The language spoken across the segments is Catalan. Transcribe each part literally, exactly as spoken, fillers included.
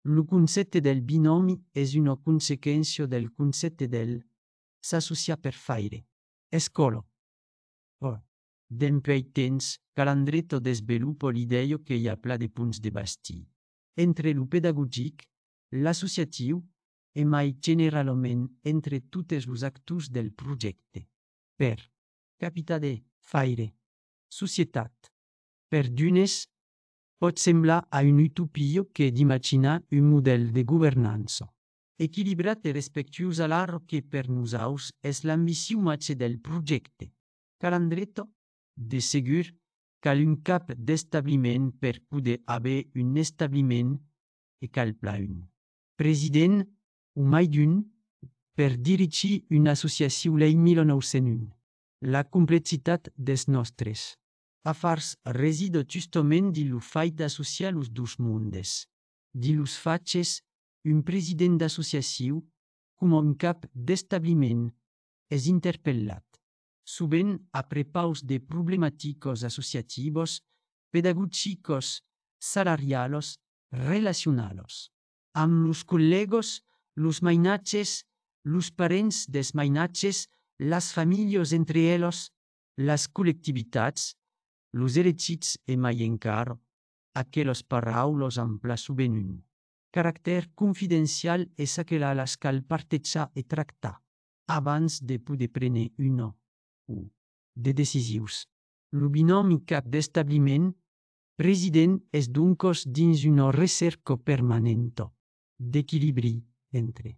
Il concetto del binomi è una conseguenza del concetto del s'associar per fare. Escolo. Oh. Dempuei temps, Calandretto desveluppa l'idea che hi ha pla de punts de basti. Entre lo pedagogic, l'associatiu e mai generalment entre totes los actors del projecte. Per capita de faire. Societat. Per d'unes, pot semblar a un'utopia che d'imaginar un model de governanza equilibrat e respectuós a l'art che per nosaus es l'ambició matxe del projecte. Calandretto, de segur, cal un cap d'establiment per poder haver un establiment e cal pla un president o mai d'un per dirigir una associació l'any mil nou-cents un. La complexitat des nostres afars reside justament di lo fait d'associar los dos mondes. Di los faces, un president d'associació, com un cap d'establiment, és interpellat. Sovint a prepaus de problematicos associativos, pedagogicos, salarialos, relacionalos. Amb los collegos, los mainatges, los parents des mainatges, las famílies entre ellos, las collectivitats, los elegits e mai encara, aqueles paraules ampla sovint un caràcter confidencial és aquela a las cal partejar e tractar, abans de poder prendre una o de decisions. Lo binomi cap d'establiment president és doncos dins una recerca permanenta d'equilibri entre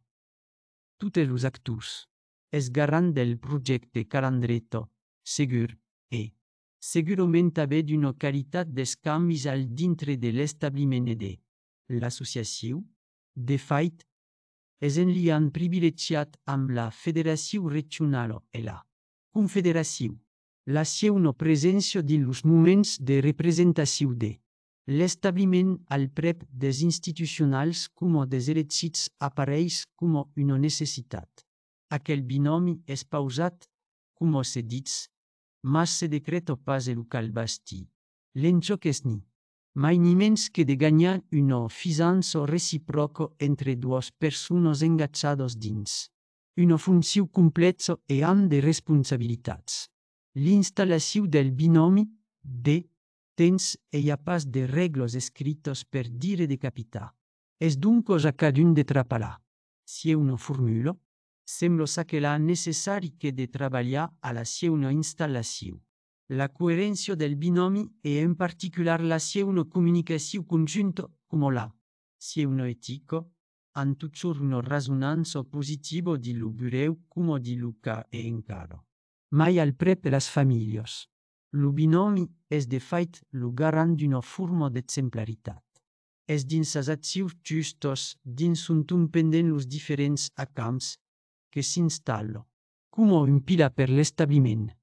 totes los actors. És garant del projecte Calandretto, segur, e segurament haver d'una qualitat d'escanvis al dintre de l'establiment e de l'associació. De fait, és en liant privilegiat amb la federació regional e la confederació. La seua presència dins los moments de representació de l'establiment al prep des institucionals com des elegits apareix com una necessitat. Aquel binomi és pausat, com se dits, mas se decreta pas el cal basti. L'enjoc és ni mai ni mens que de gagnar una fiança reciproca entre dues persones engagades dins una funció complexa e amb de responsabilitats. L'installació del binomi de temps e hi ha pas de regles escrites per dire de capitar. És doncos a cadun de trapalar. Si una formula, sembla s'aquela necessari que de treballar a la seua installació. La coherència del binomi e en particular la seua comunicació conjunta com la seua etica, han toujours una resonança positiva di lo bureu com di lo ca e encara. Mai al prep las famílies. Lo binomi és de fait lo garant d'una forma d'exemplaritat. És dins les accions justes dins on un pendent los diferents acamps que s'instal·la com un pilar per l'establiment.